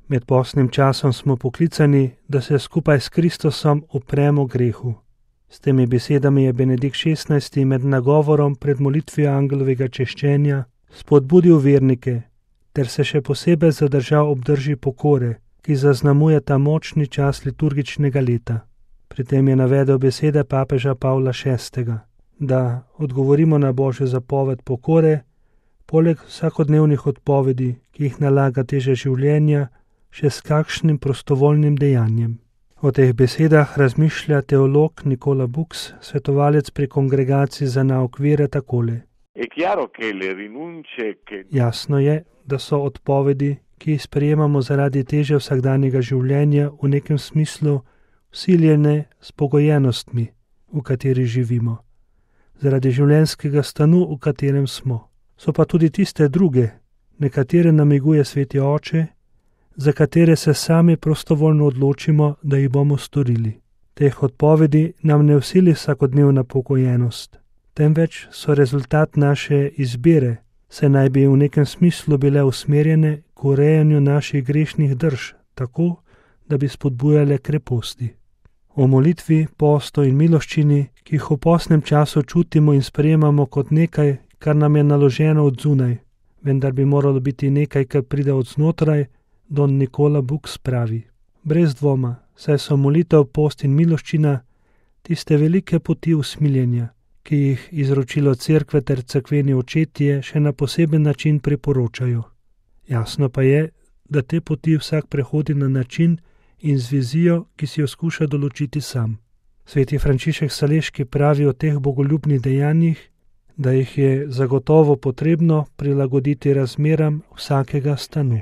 Med postnim časom smo poklicani, da se skupaj s Kristusom upremo grehu. S temi besedami je Benedikt XVI. Med nagovorom pred molitvijo angelovega češčenja spodbudil vernike, ter se še posebej zadržal ob drži pokore, ki zaznamuje ta močni čas liturgičnega leta. Pri tem je navedel besede papeža Pavla VI., da odgovorimo na Božjo zapoved pokore, poleg vsakodnevnih odpovedi, ki jih nalaga teža življenja, še s kakšnim prostovoljnim dejanjem. O teh besedah razmišlja teolog Nicola Bux, svetovalec pri Kongregaciji za nauk vere, takole. Jasno je, da so odpovedi, ki jih sprejemamo zaradi teže vsakdanjega življenja, v nekem smislu vsiljene s pogojenostmi, v kateri živimo, zaradi življenjskega stanu, v katerem smo. So pa tudi tiste druge, nekatere namiguje Sveti Oče, za katere se sami prostovoljno odločimo, da jih bomo storili. Teh odpovedi nam ne vsili vsakodnevna pogojenost, temveč so rezultat naše izbire, se naj bi v nekem smislu bile usmerjene k urejanju naših grešnih drž, tako, da bi spodbujale kreposti. O molitvi, postu in miloščini, ki jih v postnem času čutimo in sprejemamo kot nekaj, kar nam je naloženo od zunaj, vendar bi moralo biti nekaj, kar pride od znotraj, don Nicola Bux pravi. Brez dvoma, saj so molitev, post in miloščina tiste velike poti usmiljenja, ki jih izročilo cerkve ter cerkveni očetje še na poseben način priporočajo. Jasno pa je, da te poti vsak prehodi na način in z vizijo, ki si jo skuša določiti sam. Sveti Frančišek Saleški pravi o teh bogoljubnih dejanjih, da jih je zagotovo potrebno prilagoditi razmeram vsakega stanu.